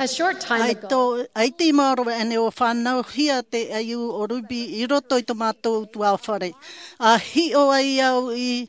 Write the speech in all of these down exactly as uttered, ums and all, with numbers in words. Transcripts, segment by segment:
A short time ago, ʻaita i maoro aʻenei ʻua fānauhia te ʻaiū o Ruby i roto i tō mātou utuāfare. ʻA hiʻo ai au i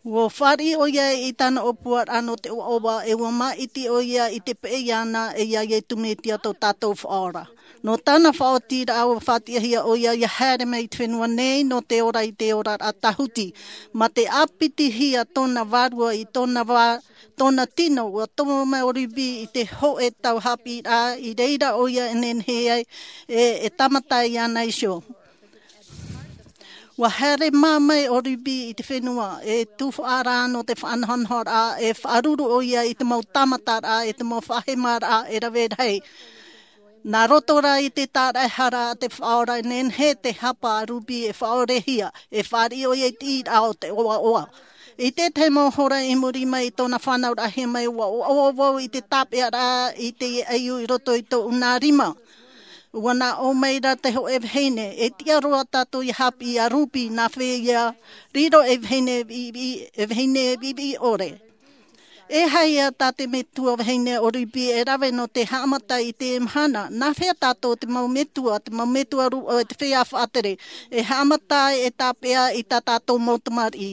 ʻUa fāriʻi ʻoia i tāna ʻōpuaraʻa nō te ʻoaʻoa, e ʻua māʻiti ʻoia i te peʻe iāna e iā Iesu Mesia tō tātou Faʻaora. Nō tāna faʻaotiraʻa ʻua faʻatiʻahia ʻoia ʻia haere mai i te fenua nei nō te ora i te oraraʻa tāhuti. Mā te ʻāpitihia tōna vārua i tōna vā, tōna tino, ʻua tomo mai ʻo Ruby i te hōʻē tau haʻapiʻiraʻa i reira ʻoia e nehenehe ai e, e tāmata iāna iho. ʻUa haere mā mai ʻo Ruby i te fenua, e tuhaʻa rā nō te faʻanahonahoraʻa, e faʻaruru ʻoia i te mau tāmataraʻa, e te mau faʻahemaraʻa e rave rahi. Nā roto rā i te tāraʻehara a te Faʻaora e nehenehe te hapa a Ruby e faʻaorehia, e fāriʻi ʻoia i te ʻīraʻa o te ʻoaʻoa. I te tahi mau hora i muri mai i tōna fānauraʻahia mai, ʻua ʻoaʻoa vau i te tāpeʻaraʻa i te ʻaiū i roto i tōʻu nā rima. ʻUa nā ʻō mai ra te hōʻē vahine, e tiʻa roa tātou ʻia haʻapiʻi iā Ruby, nā hea ʻia riro ei vahine viʻiviʻi, e vahine viʻiviʻi ʻore. E aha ïa tā te metua vahine o Ruby e rave nō te haʻamata i te mahana, nā hea tātou te mau metua, te mau metua rūʻau e te feiā faʻatere, e haʻamata ai e tāpeʻa i tā tātou mau tamariʻi.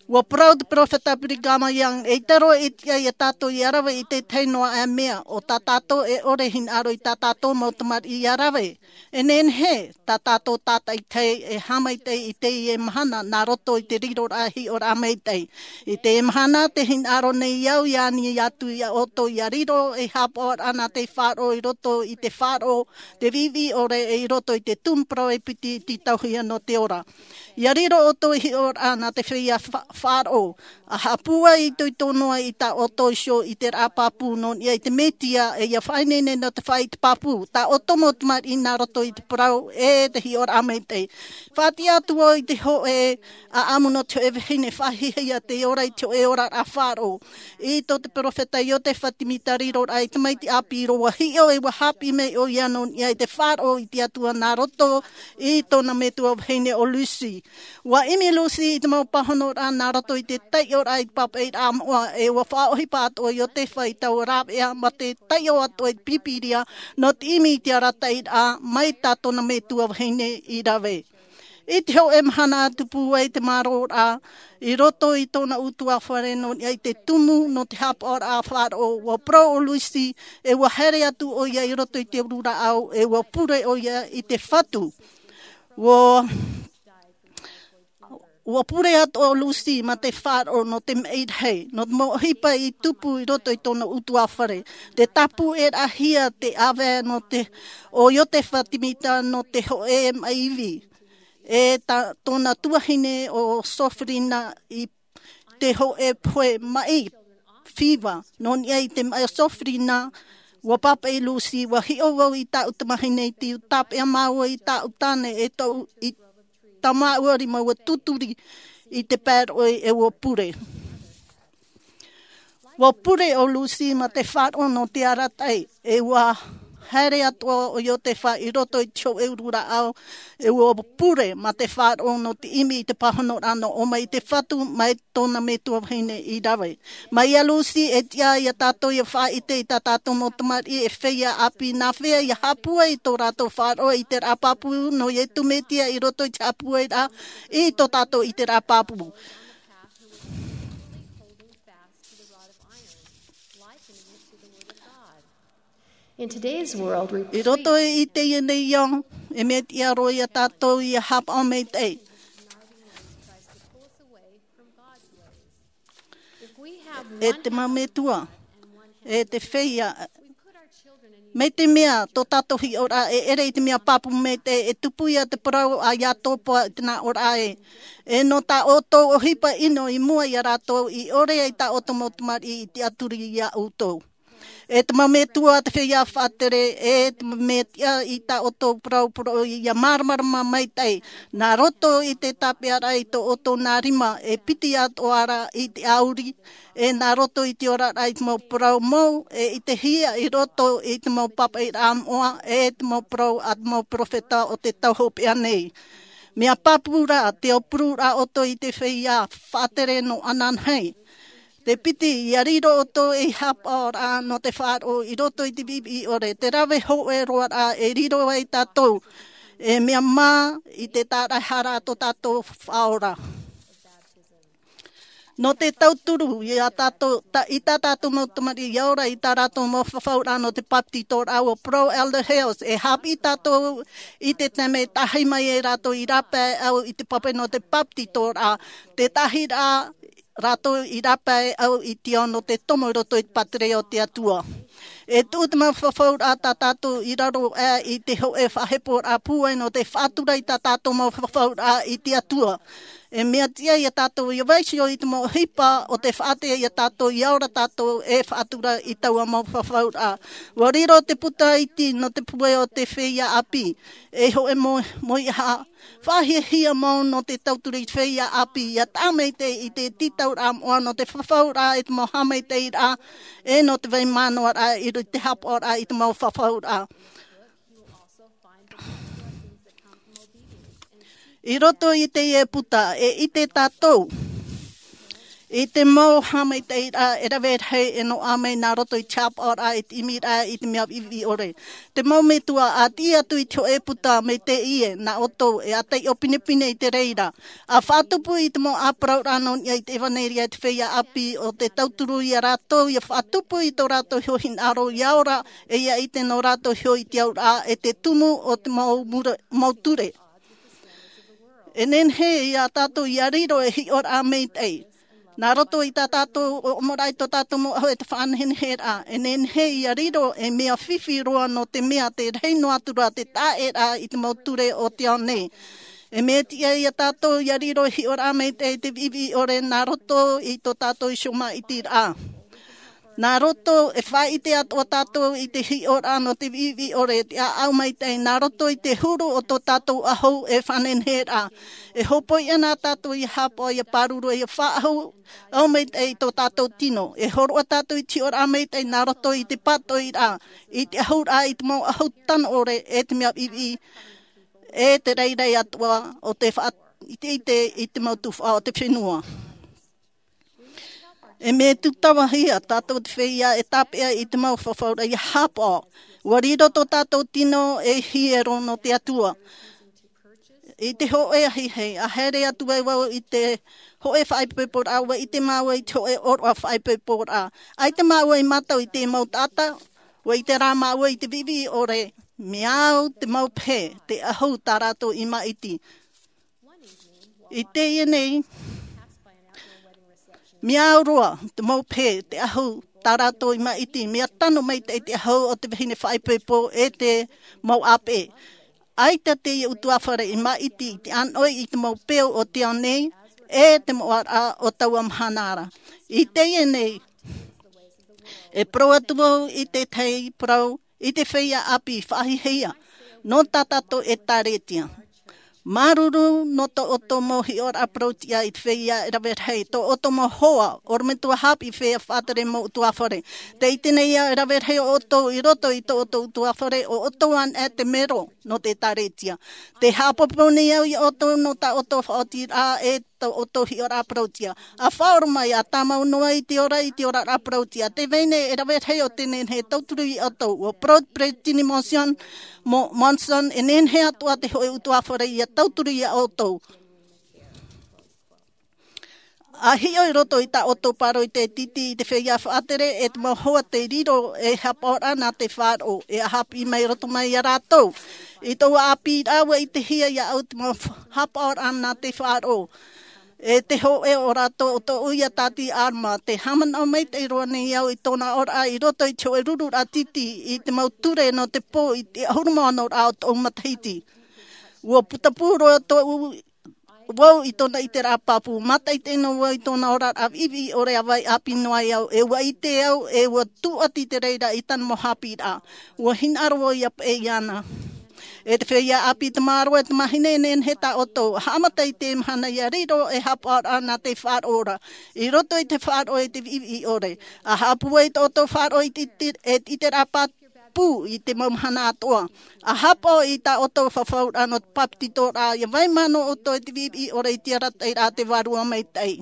ʻUa parau te peropheta Brigham Young, eʻita roa e tiʻa iā tātou ʻia rave i te tahi noa ā mea, ʻo tā tātou e ʻore hinaʻaro i tā tātou mau tamariʻi ʻia rave. E nehenehe tā tātou tātaʻitahi e haʻamaitaʻi i teie mahana nā roto i te riroraʻa hiʻoraʻa maitaʻi. I teie mahana tē hinaʻaro nei au ʻia ani atu iā ʻoutou ʻia riro ei haʻapaʻoraʻa nā te faʻaroʻo i roto i te faʻaroʻo, te viʻiviʻi ʻore e i roto i te tumu parau e piti i tītauhia nō te ora. ʻIa riro ʻoutou ei hiʻoraʻa nā te feiā fa-, faʻaroʻo. ʻA haʻapūai itoito noa i tā ʻoutou iho i te raʻa pāpū nō niʻa i te Mesia, e ʻia faʻaineine nō te faʻaʻite pāpū, tā ʻoutou mau tamariʻi nā roto i te parau, e te hiʻoraʻa maitaʻi. Faʻatiʻa atu vau i te hōʻē ʻāʻamu nō te hōʻē vahine faʻahiahia tei ora i te hōʻē oraraʻa faʻaroʻo. I tō te peropheta Iotefa Timita riroraʻa i te tamaiti ʻāpī roa hiʻo e ʻua haʻapiʻi mai ʻoia nō niʻa i te faʻaroʻo i te Atua nā roto i tōna metua vahine ʻo Lucy. ʻUa ʻimi Lucy i te mau pāhonoraʻa nā roto i te taiʻoraʻa i te pāpaʻiraʻa moʻa, e ʻua faʻaʻohipa atoʻa Iotefa i taua rāveʻa mā te taiʻo atoʻa i te Pīpīria nō te ʻimi i te arataʻiraʻa mai tā tōna metua vahine i rave. I te hōʻē mahana atu pūai te māroraʻa i roto i tōna ʻutuāfare nō niʻa i te tumu nō te haʻapaʻoraʻa faʻaroʻo, ʻua parau ʻo Lucy, e ʻua haere atu ʻoia i roto i te uru rāʻau, e ʻua pure ʻoia i te fatu. ʻUa ʻUa pure atoʻa ʻo Lucy mā te faʻaroʻo nō te maʻi rahi, nō te mau ʻohipa i tupu i roto i tōna ʻutuāfare. Tē tāpūʻeraʻahia te ʻāvae nō te, ʻo Iotefa Timita nō te hōʻē maʻi ivi. E tā, tōna tuahine ʻo Sofrina i te hōʻē pohe maʻi fiva. Nō niʻa i te maʻi Sofrina, ʻua pāpaʻi Lucy, ʻua hiʻo vau i tāʻu tamahine iti, ʻua tāpeʻa māua i tāʻu tāne, e tōʻu, i tā māua rima ʻua tūturi i te pae roʻi e ʻua pure. ʻUa pure ʻo Lucy mā te faʻaroʻo nō te arataʻi, e ʻua haere atoʻa ʻo Iotefa i roto i te hōʻē uru rāʻau, e ʻua pure mā te faʻaroʻo nō te ʻimi i te pāhonoraʻa nō ʻō mai i te fatu, mai tōna metua vahine i rave. Mai iā Lucy, e tiʻa iā tātou ʻia faʻaʻite i tā tātou mau tamariʻi e feiā ʻāpī, nā hea ʻia haʻapūai i tō rātou faʻaroʻo i te raʻa pāpū nō Iesu Mesia i roto i te haʻapūairaʻa i tō tātou ʻiteraʻa pāpū. In today's world, we I roto i teie nei ao, e mea tiʻa roa iā tātou ʻia haʻapaʻo maitaʻi. If we have E te mau metua, e te feiā, mai te mea tō tātou hiʻoraʻa e ʻere i te mea pāpū maitaʻi, e tupu ia te parau a Iatopa i te nā ʻōraʻa ē. E nō tā ʻoutou ʻohipa ʻino i mua iā rātou i ʻore ai tā ʻoutou mau tamariʻi i tiʻaturi iā ʻoutou. E te mau metua, te feiā faʻatere, e te mau mea tiʻa i tā ʻoutou parau poroʻi ʻia māramarama maitaʻi. Nā roto i te tāpeʻaraʻa i tō ʻoutou nā rima, e piti atoʻa ra i te ʻāuri, e nā roto i te oraraʻa i te mau parau mou, e i te hia i roto i te mau pāpaʻiraʻa moʻa, e te mau parau a te mau peropheta o te tau hopeʻa nei. Mea pāpū ra, tē aupururaʻa ʻoutou i te feiā faʻatere nō ananahi. Te piti, ia riro ʻoutou ei haʻapaʻoraʻa nō te faʻaroʻo i roto i te viʻiviʻi ʻore, te rave hōʻē roa raʻa e riro ai tātou, e mea mā i te tāraʻehara tō tātou Faʻaora. Nō te tauturu i a tātou, ta, i tā tātou mau tamariʻi ia ora i tā rātou mau fafauraʻa nō te papetitoraʻa, ʻua parau Elder Hales, e haʻapiʻi tātou i te taime e tahi mai ai rātou i rāpae au i te pape nō te papetitoraʻa, te tahi rā rātou i rāpae au i te ao nō te tomo i roto i te pātireia o te Atua. E tuʻu te mau fafauraʻa tā tātou i raro aʻe i te hōʻē faʻaheporaʻa pūai nō te faʻatura i tā tātou mau fafauraʻa i te Atua. E mea tiʻa ia tātou ia vaiiho i te mau ʻohipa o te faʻaʻite ia tātou ia ora tātou e faʻatura i taua mau fafauraʻa. ʻUa riro te puta iti nō te pūai o te feiā ʻāpī. E hōʻē mau, mau ia ha, faʻahiahia mau nō te tauturu i te feiā ʻāpī, ia taʻa maitaʻi i te tītauraʻa moʻa nō te fafauraʻa i te mau haʻamaitaʻiraʻa, e nō te vai manaʻoraʻa i roto i te haʻapaʻoraʻa i te mau fafauraʻa. I roto i teie puta, e ʻite tātou i te mau haʻamaitaʻiraʻa e rave rahi e noaʻa mai nā roto i te haʻapaʻoraʻa, i te ʻimiraʻa, i te mea viʻiviʻi ʻore. Te mau metua, ʻa tiʻi atu i te hōʻē puta mai teie, nā ʻoutou e ʻātaiʻo pinepine i te reira. ʻA faʻatupu i te mau ʻāparauraʻa nō niʻa i te ʻevanelia i te feiā ʻāpī, ʻo te tauturu ia rātou, ia faʻatupu i tō rātou iho hinaʻaro ia ora, e ia ʻite nō rātou iho i te auraʻa, e te tumu o te mau mure, mau ture. E nehenehe ia tātou ia riro e hiʻoraʻa maitaʻi. Nā roto i tā tātou ʻōmuaraʻa i tō tātou mau ʻahu e te faʻaneheneheraʻa. E nehenehe ia riro e mea fifi roa nō te mea te rahi noa atu ra te taʻeraʻa i te mau ture o te ao nei. E mea tiʻa ia tātou ia riro e hiʻoraʻa maitaʻi i te viʻiviʻi ʻore nā roto i tō tātou iho maʻitiraʻa. Nā roto e faʻaʻite atoʻa tātou i te hiʻoraʻa nō te viʻiviʻi ʻore, te ʻāʻau maitaʻi, nā roto i te huru o tō tātou ʻahu e faʻanehenehe ra. E hōpoi ana tātou ia haʻapaʻo, ia pāruru, ia faʻaʻahu, ʻahu maitaʻi i tō tātou tino. E hōroʻa tātou i te hiʻoraʻa maitaʻi nā roto i te pātoʻiraʻa, i te ʻahuraʻa, i te mau ʻahu tano ʻore, e te mea viʻiviʻi, e te rairai atoʻa o te faʻaʻiteʻite i te mau tuhaʻa o te fenua. E mea tūtavahia tātou te feiā e tāpeʻa i te mau fafauraʻa ia haʻapaʻo. ʻUa riro tō tātou tino e hiero nō te Atua. I te hōʻē ahiahi, ʻa haere atu ai vau i te hōʻē faʻaipoiporaʻa, ʻua ʻite māua i te hōʻē ʻōroʻa faʻaipoiporaʻa. ʻAita māua i mātau i te mau taʻata, ʻua ʻite rā māua i te viʻiviʻi ʻore, mea au te mau pehe, te ʻahu tā rātou i maʻiti. I teie nei, mea au roa te mau pehe, te ʻahu tā rātou i maʻiti, mea tano maitaʻi te ʻahu o te vahine faʻaipoipo e te mau ʻāpeʻe. ʻAita teie ʻutuāfare i maʻiti i te ʻānoʻi i te mau peu o te ao nei, e te moʻaraʻa o taua mahana ra. I teie nei, e parau atu vau i te tahi parau, i te feiā ʻāpī faʻahiahia, nō tā tātou ʻēkālesia. Māuruuru nō tō ʻoutou mau hiʻoraʻa parauʻtiʻa i te feiā e rave rahi, tō ʻoutou mau hoa, ʻorometua haʻapiʻi feiā faʻatere mau ʻutuāfare. Tē ʻite nei au e rave rahi ʻoutou i roto i tō ʻoutou ʻutuāfare, ʻo ʻoutou anaʻe te mero nō te ʻēkālesia. Tē haʻapāpū nei au ia ʻoutou nō tā ʻoutou faʻaotiraʻa e tō ʻoutou hiʻoraʻa parauʻtiʻa. ʻA faʻaora mai, ʻa tāmau noa i te ora, i te oraraʻa parauʻtiʻa. Tē vai nei e rave rahi o tē nehenehe e tauturu ia ʻoutou. ʻUa parau te peresideni Monson, Mo-, Monson, e nehenehe atoʻa te hōʻē ʻutuāfare ia tauturu ia ʻoutou. ʻA hiʻo i roto i tā ʻoutou pāroita e tītī i te feiā faʻatere, e te mau hoa tei riro ei haʻapaʻoraʻa nā te faʻaroʻo, e ʻa haʻapiʻi mai roto mai ia rātou. I tōʻu ʻāpīraʻa ʻua ʻitehia iāʻu te mau fa-, haʻapaʻoraʻa nā te faʻaroʻo. E te hōʻē o rātou ʻo tōʻu ia tāti Alma, tē haʻamanaʻo maitaʻi roa nei au i tōna oraraʻa i roto i te hōʻē rururaʻa tītī i te mau ture nō te pō i te ʻahuru mā ono ra o tōʻu matahiti. ʻUa putapū roa tōʻu, vau i tōna ʻiteraʻa pāpū, mātaʻitaʻi noa vau i tōna oraraʻa viʻiviʻi ʻore ʻa vai ʻāpī noa ai au, e ʻua ʻite au, e ʻua tūʻati te reira i tāna mau haʻapiʻiraʻa. ʻUa hinaʻaro vau ia paʻi iāna. E te feiā ʻāpī, te māroa, e te mahine, e nehenehe tā ʻoutou, haʻamata i te mahana ia riro ei haʻapaʻoraʻa nā te faʻaroʻo ra. I roto i te faʻaroʻo e te viʻiviʻi ʻore. ʻA haʻapūai tō ʻoutou faʻaroʻo i te, te, e te ʻiteraʻa pā-, pū i te mau mahana atoʻa. ʻA haʻapaʻo i tā ʻoutou fafauraʻa nō te papetitoraʻa, ia vai manaʻo ʻoutou e te viʻiviʻi ʻore i te arataʻiraʻa a te Vārua Maitaʻi.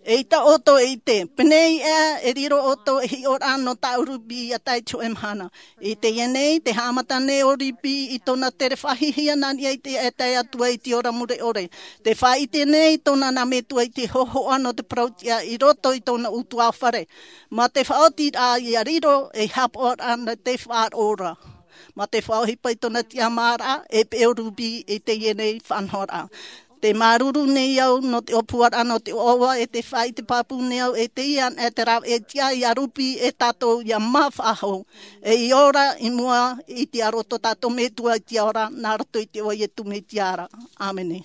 E ʻita ʻoutou e ʻite, pēnei ā e riro ʻoutou e hiʻoraʻa nō tāʻu rūpī ia tae i te hōʻē mahana. I teie nei, tē haʻamata nei ʻo Ruby i tōna tere faʻahihia nā niʻa i te tae atu ai i te ora mure ʻore. Tē faʻaʻite nei tōna nā metua i te hōhoʻa nō te parau tiʻa i roto i tōna ʻutuāfare. Mā te faʻaotiraʻa ia riro ei haʻapaʻoraʻa nā te faʻaroʻo ra. Mā te faʻaʻohipa i tōna tiʻamāraʻa e peʻe ʻo Ruby i teie nei faʻanahoraʻa. Tē māuruuru nei au nō te ʻōpuaraʻa nō te ʻoaʻoa e tē faʻaʻite pāpū nei au e teie anaʻe te rāveʻa tiʻa ia Ruby e tātou ia mā faʻahou. E i ora i mua i te aro tō tātou metua i te ora nā roto i te iʻoa o Iesu Mesia ra. ʻĀmene.